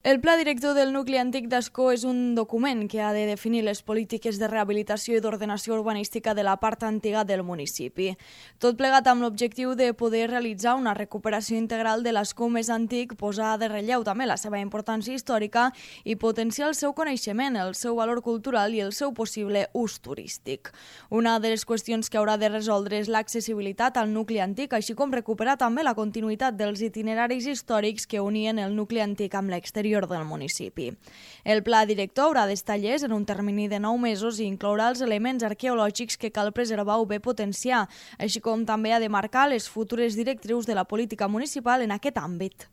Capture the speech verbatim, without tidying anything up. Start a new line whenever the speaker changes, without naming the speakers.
El Pla Director del Nucli Antic d'Ascó és un document que ha de definir les polítiques de rehabilitació i d'ordenació urbanística de la part antiga del municipi. Tot plegat amb l'objectiu de poder realitzar una recuperació integral de l'Ascó més antic, posar de relleu també la seva importància històrica i potenciar el seu coneixement, el seu valor cultural i el seu possible ús turístic. Una de les qüestions que haurà de resoldre és l'accessibilitat al nucli antic, així com recuperar també la continuïtat dels itineraris històrics que unien el nucli antic amb l'exterior del municipi. El pla director haurà d'estar llest en un termini de nou mesos i inclourà els elements arqueològics que cal preservar o bé potenciar, així com també ha de marcar les futures directrius de la política municipal en aquest àmbit.